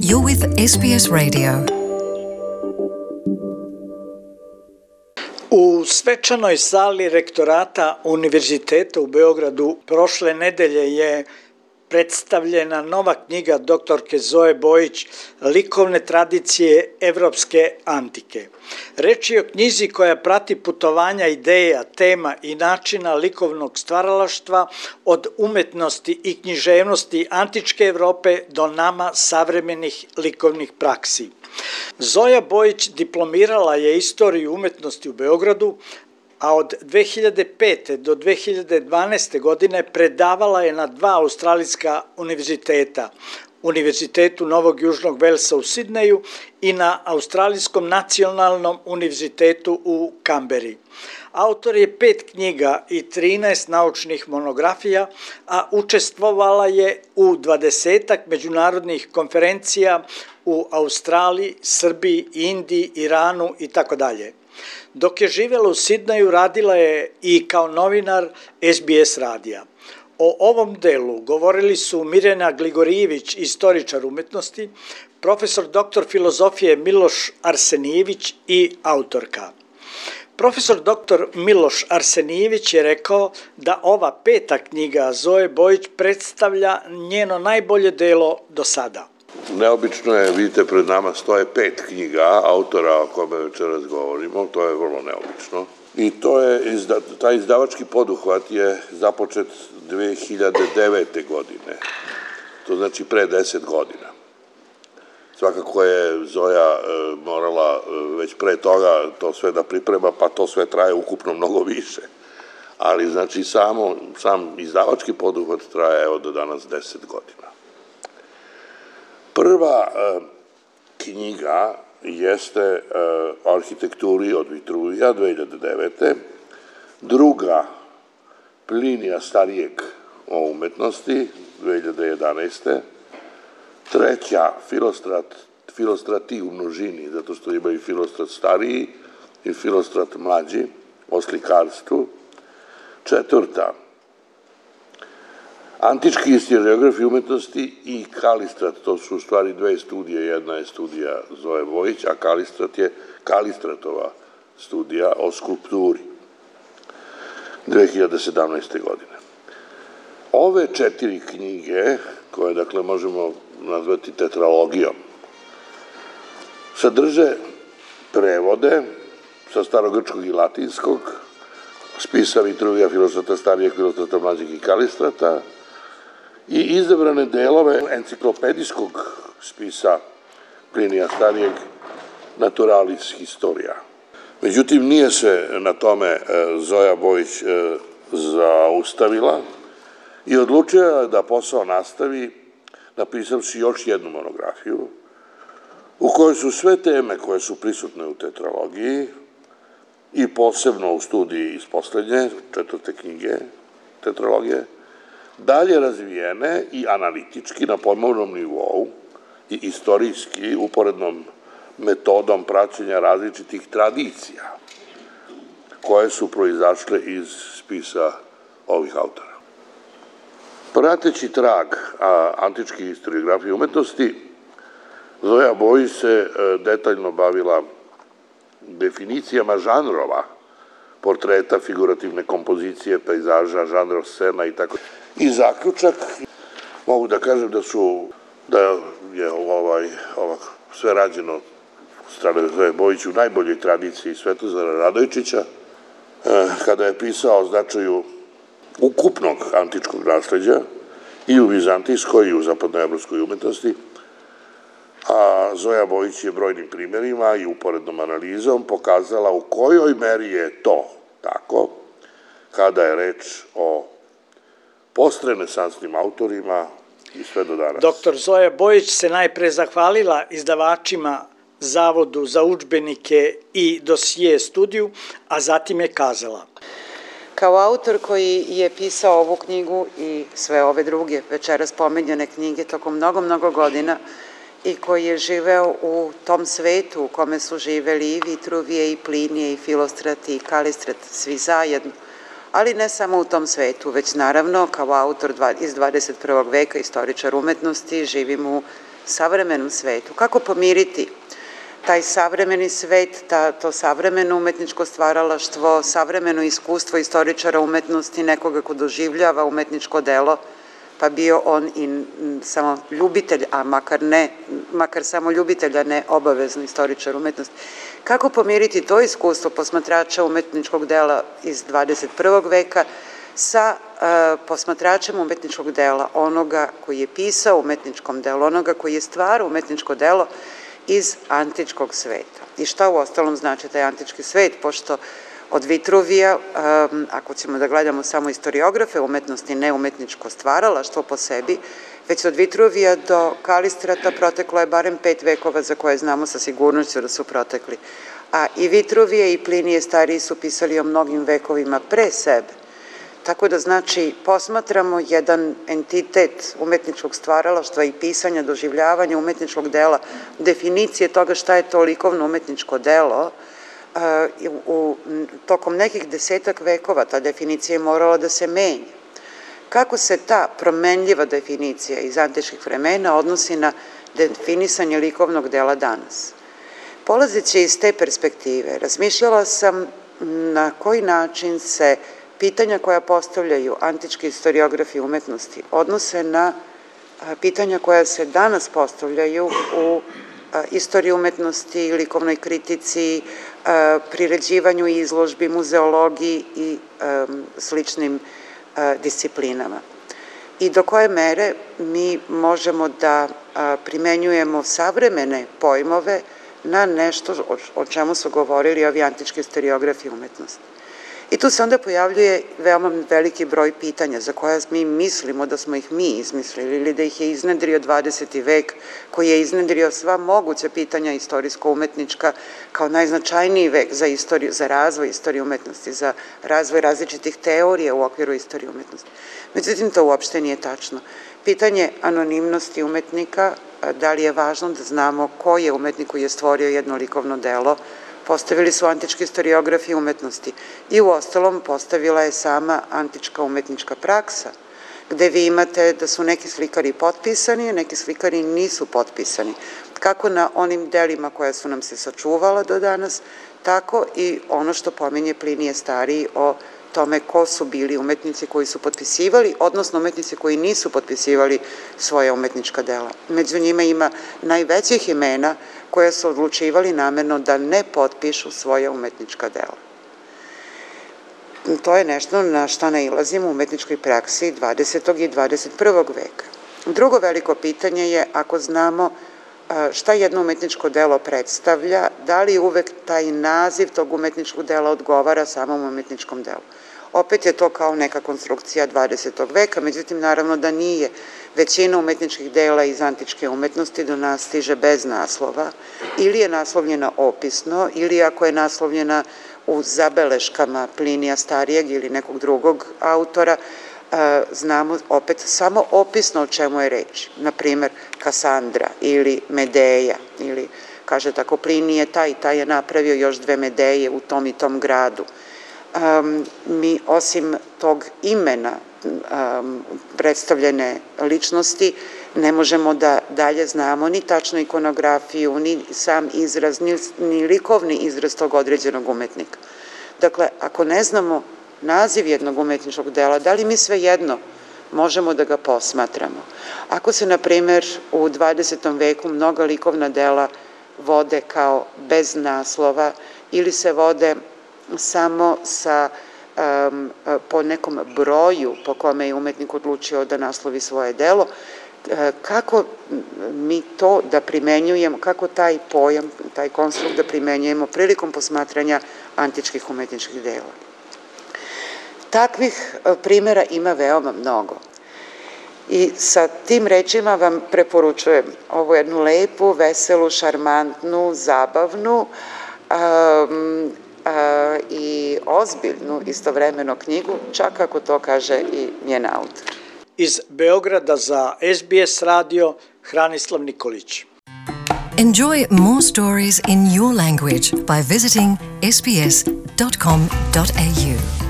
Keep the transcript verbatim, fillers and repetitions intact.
You're with S B S Radio. U svečanoj sali rektorata Univerziteta u Beogradu prošle nedelje je predstavljena nova knjiga doktorke Zoe Bojić Likovne tradicije evropske antike. Reč je o knjizi koja prati putovanja ideja, tema i načina likovnog stvaralaštva od umetnosti i književnosti antičke Evrope do nama savremenih likovnih praksi. Zoja Bojić diplomirala je istoriju umetnosti u Beogradu, a od dve hiljade pete do dve hiljade dvanaeste. godine predavala je na dva australijska univerziteta, Univerzitetu Novog Južnog Velsa u Sidneju i na Australijskom nacionalnom univerzitetu u Kamberi. Autor je pet knjiga i trinaest naučnih monografija, a učestvovala je u dvadesetak međunarodnih konferencija u Australiji, Srbiji, Indiji, Iranu i tako dalje. Dok je živjela u Sidneju, radila je i kao novinar S B S radija. O ovom delu govorili su Mirjana Gligorijević, istoričar umetnosti, profesor doktor filozofije Miloš Arsenijević i autorka. Profesor doktor Miloš Arsenijević je rekao da ova peta knjiga Zoe Bojić predstavlja njeno najbolje delo do sada. Neobično je, vidite, pred nama stoje pet knjiga autora o kome večeras govorimo, to je vrlo neobično. I to je, taj izdavački poduhvat je započet dve hiljade devete. godine, to znači pre deset godina. Svakako je Zoja morala već pre toga to sve da priprema, pa to sve traje ukupno mnogo više. Ali znači samo, sam izdavački poduhvat traje evo do danas deset godina. Prva e, knjiga jeste e, o arhitekturi od Vitruvija dve hiljade devete. Druga Plinija starijeg o umetnosti dve hiljade jedanaeste. Treća Filostrat, Filostrati u množini, zato što ima i Filostrat stariji i Filostrat mlađi o slikarstvu. Četvrta Antički historiografi umetnosti i Kalistrat, to su u stvari dve studije, jedna je studija Zoe Bojić, a Kalistrat je Kalistratova studija o skulpturi dve hiljade sedamnaeste. godine. Ove četiri knjige, koje dakle možemo nazvati tetralogijom, sadrže prevode sa starogrčkog i latinskog, spisa Vitruvija, Filostrata starijeg, Filostrata mlađeg i Kalistrata, i izabrane delove enciklopedijskog spisa Plinija starijeg Naturalis Historia. Međutim, nije se na tome Zoja Bojić zaustavila i odlučila da posao nastavi napisavši još jednu monografiju u kojoj su sve teme koje su prisutne u tetralogiji i posebno u studiji iz poslednje, četvrte knjige tetralogije, dalje razvijene i analitički na pojmovnom nivou i istorijski uporednom metodom praćenja različitih tradicija koje su proizašle iz spisa ovih autora. Prateći trag antičke historiografije umetnosti, Zoja Bojić se detaljno bavila definicijama žanrova, portreta, figurativne kompozicije, pejzaža, žanrov scena i tako. I zaključak, mogu da kažem da su, da je ovaj, ovak, sve rađeno strane Zoe Bojić u najboljoj tradiciji Svetozara Radojičića, kada je pisao o značaju ukupnog antičkog nasleđa i u vizantijskoj i u zapadnoevropskoj umetnosti, a Zoja Bojić je brojnim primjerima i uporednom analizom pokazala u kojoj meri je to tako kada je reč o postrenesansnim autorima i sve do danas. Doktor Zoja Bojić se najpre zahvalila izdavačima Zavodu za udžbenike i dosije studiju, a zatim je kazala: Kao autor koji je pisao ovu knjigu i sve ove druge večeras pomenjene knjige tokom mnogo, mnogo godina i koji je živeo u tom svetu u kome su živeli i Vitruvije i Plinije i Filostrat i Kalistrat, svi zajedno, ali ne samo u tom svetu, već naravno kao autor iz dvadeset prvog veka, istoričar umetnosti, živim u savremenom svetu, kako pomiriti taj savremeni svet, ta, to savremeno umetničko stvaralaštvo, savremeno iskustvo istoričara umetnosti, nekoga ko doživljava umetničko delo, pa bio on i samo ljubitelj, a makar ne, makar samo ljubitelj, a ne obavezno istoričar umetnosti. Kako pomiriti to iskustvo posmatrača umetničkog dela iz dvadeset prvog veka sa uh, posmatračem umetničkog dela, onoga koji je pisao umetničkom delu, onoga koji je stvarao umetničko delo iz antičkog sveta. I šta u ostalom znači taj antički svet, pošto od Vitruvija, um, ako ćemo da gledamo samo istoriografe umetnosti, ne umetničko stvaralaštvo po sebi, već od Vitruvija do Kalistrata proteklo je barem pet vekova za koje znamo sa sigurnošću da su protekli. A i Vitruvije i Plinije stariji su pisali o mnogim vekovima pre sebe. Tako da znači posmatramo jedan entitet umetničkog stvaralaštva i pisanja, doživljavanja umetničkog dela, definicije toga šta je to likovno umetničko delo, uh, u, tokom nekih desetak vekova ta definicija je morala da se menja. Kako se ta promenljiva definicija iz antičkih vremena odnosi na definisanje likovnog dela danas? Polazeći iz te perspektive, razmišljala sam na koji način se pitanja koja postavljaju antički istoriografi umetnosti odnose na pitanja koja se danas postavljaju u istoriji umetnosti, likovnoj kritici, priređivanju izložbi, muzeologiji i sličnim disciplinama. I do koje mere mi možemo da primenjujemo savremene pojmove na nešto o čemu su govorili ovi antički istoriografi umetnosti. I tu se onda pojavljuje veoma veliki broj pitanja za koja mi mislimo da smo ih mi izmislili ili da ih je iznedrio dvadeseti vek, koji je iznedrio sva moguća pitanja istorijsko-umetnička kao najznačajniji vek za istoriju, za razvoj istorije umetnosti, za razvoj različitih teorija u okviru istorije umetnosti. Međutim, to uopšte nije tačno. Pitanje anonimnosti umetnika, da li je važno da znamo ko je umetnik koji je stvorio jedno likovno delo, postavili su antički istoriografi umetnosti i u ostalom postavila je sama antička umetnička praksa, gde vi imate da su neki slikari potpisani, a neki slikari nisu potpisani. Kako na onim delima koja su nam se sačuvala do danas, tako i ono što pominje Plinije stariji o tome ko su bili umetnici koji su potpisivali, odnosno umetnici koji nisu potpisivali svoje umetnička dela. Među njima ima najvećih imena koja su odlučivali namerno da ne potpišu svoje umetnička dela. To je nešto na šta nailazimo u umetničkoj praksi dvadesetog i dvadeset prvog veka. Drugo veliko pitanje je, ako znamo šta jedno umetničko delo predstavlja, da li uvek taj naziv tog umetničkog dela odgovara samom umetničkom delu. Opet je to kao neka konstrukcija dvadesetog veka, međutim naravno da nije. Većina umetničkih dela iz antičke umetnosti do nas stiže bez naslova, ili je naslovljena opisno, ili ako je naslovljena u zabeleškama Plinija starijeg ili nekog drugog autora, znamo opet samo opisno o čemu je reč. Naprimer, Kasandra ili Medeja, ili kaže tako Plinije, taj i taj je napravio još dve Medeje u tom i tom gradu. Um, mi osim tog imena um, predstavljene ličnosti ne možemo da dalje znamo ni tačnu ikonografiju, ni sam izraz, ni, ni likovni izraz tog određenog umetnika. Dakle, ako ne znamo naziv jednog umetničkog dela, da li mi svejedno možemo da ga posmatramo? Ako se, na primer, u dvadesetom veku mnoga likovna dela vode kao bez naslova ili se vode samo sa, um, po nekom broju po kome je umetnik odlučio da naslovi svoje delo, kako mi to da primenjujemo, kako taj pojam, taj konstrukt da primenjujemo prilikom posmatranja antičkih umetničkih dela. Takvih primjera ima veoma mnogo. I sa tim rečima vam preporučujem ovu jednu lepu, veselu, šarmantnu, zabavnu um, a, i ozbiljnu istovremeno knjigu, čak ako to kaže i njen autor. Iz Beograda za S B S radio, Hranislav Nikolić. Enjoy more stories in your language by visiting s b s dot com dot a u.